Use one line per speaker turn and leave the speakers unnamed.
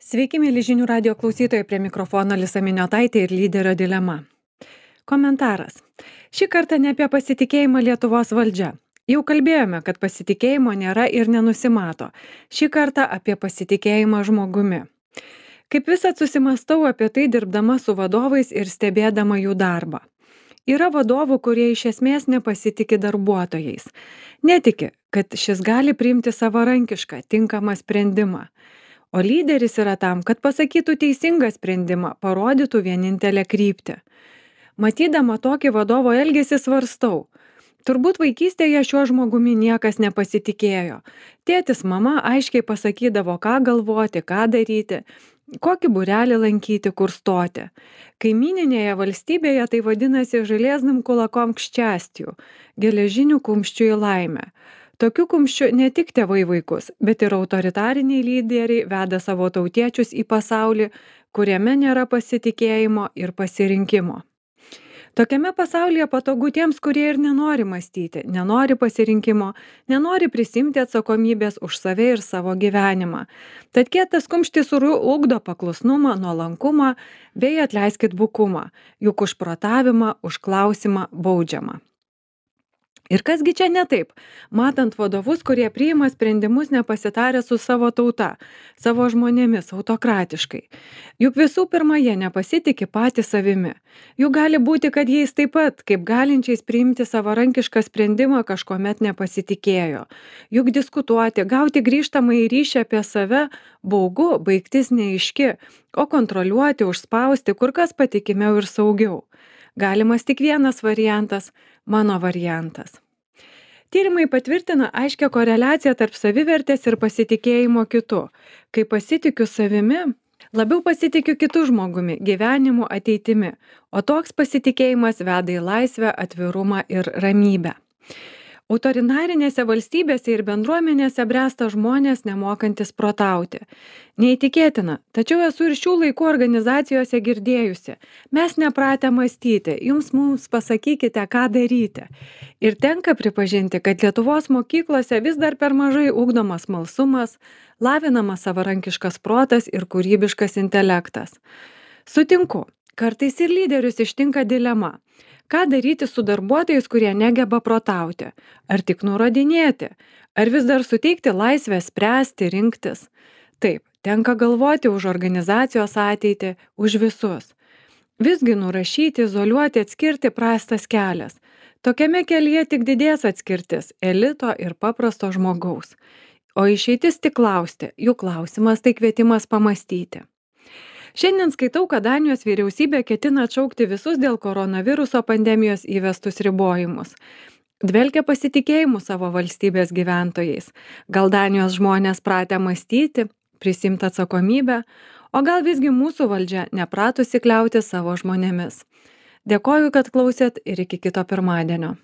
Sveiki, mėly žinių radio klausytojai, prie mikrofono Lisa Miniotaitė ir lyderio dilema. Komentaras. Šį kartą ne apie pasitikėjimą Lietuvos valdžia. Jau kalbėjome, kad pasitikėjimo nėra ir nenusimato. Šį kartą apie pasitikėjimą žmogumi. Kaip visad susimastau apie tai dirbdama su vadovais ir stebėdama jų darbą. Yra vadovų, kurie iš esmės nepasitikė darbuotojais. Netiki, kad šis gali priimti savarankišką, tinkamą sprendimą. O lyderis yra tam, kad pasakytų teisingą sprendimą, parodytų vienintelę kryptį. Matydama tokį vadovo elgesį svarstau. Turbūt vaikystėje šiuo žmogumi niekas nepasitikėjo. Tėtis, mama aiškiai pasakydavo, ką galvoti, ką daryti, kokį būrelį lankyti, kur stoti. Kaimyninėje valstybėje tai vadinasi žalėznam kulakom kščiastijų, geležinių kumščių į laimę. Tokių kumščių ne tik tėvai vaikus, bet ir autoritariniai lyderiai veda savo tautiečius į pasaulį, kuriame nėra pasitikėjimo ir pasirinkimo. Tokiame pasaulyje patogu tiems, kurie ir nenori mąstyti, nenori pasirinkimo, nenori prisimti atsakomybės už save ir savo gyvenimą. Tad kietas kumštis ugdo paklusnumą, nuolankumą bei atleiskit bukumą, juk už protavimą, už klausimą baudžiama. Ir kasgi čia ne taip, matant vadovus, kurie priima sprendimus nepasitarę su savo tauta, savo žmonėmis autokratiškai. Juk visų pirma, jie nepasitikė patys savimi. Juk gali būti, kad jais taip pat, kaip galinčiais priimti savarankišką sprendimą, kažkuomet nepasitikėjo. Juk diskutuoti, gauti grįžtamą į ryšį apie save baugu, baigtis neaiški, o kontroliuoti, užspausti kur kas patikimiau ir saugiau. Galimas tik vienas variantas – mano variantas. Tyrimai patvirtina aiškią koreliaciją tarp savivertės ir pasitikėjimo kitu. Kai pasitikiu savimi, labiau pasitikiu kitu žmogumi, gyvenimu, ateitimi, o toks pasitikėjimas veda į laisvę, atvirumą ir ramybę. Autoritarinėse valstybėse ir bendruomenėse bręsta žmonės nemokantis protauti. Neįtikėtina, tačiau esu ir šių laikų organizacijose girdėjusi. Mes nepratę mąstyti, mums pasakykite, ką daryti. Ir tenka pripažinti, kad Lietuvos mokyklose vis dar per mažai ugdomas smalsumas, lavinamas savarankiškas protas ir kūrybiškas intelektas. Sutinku, kartais ir lyderius ištinka dilema. Ką daryti su darbuotojais, kurie negeba protauti? Ar tik nurodinėti? Ar vis dar suteikti laisvę spręsti, rinktis? Taip, tenka galvoti už organizacijos ateitį, už visus. Visgi nurašyti, izoliuoti, atskirti prastas kelias. Tokiame kelyje tik didės atskirtis elito ir paprasto žmogaus. O išeitis tik klausti, jų klausimas tai kvietimas pamąstyti. Šiandien skaitau, kad Danijos vyriausybė ketina atšaukti visus dėl koronaviruso pandemijos įvestus ribojimus. Dvelkia pasitikėjimu savo valstybės gyventojais. Gal Danijos žmonės pratę mąstyti, prisimti atsakomybę, o gal visgi mūsų valdžia nepratusi kliauti savo žmonėmis. Dėkoju, kad klausėt ir iki kito pirmadienio.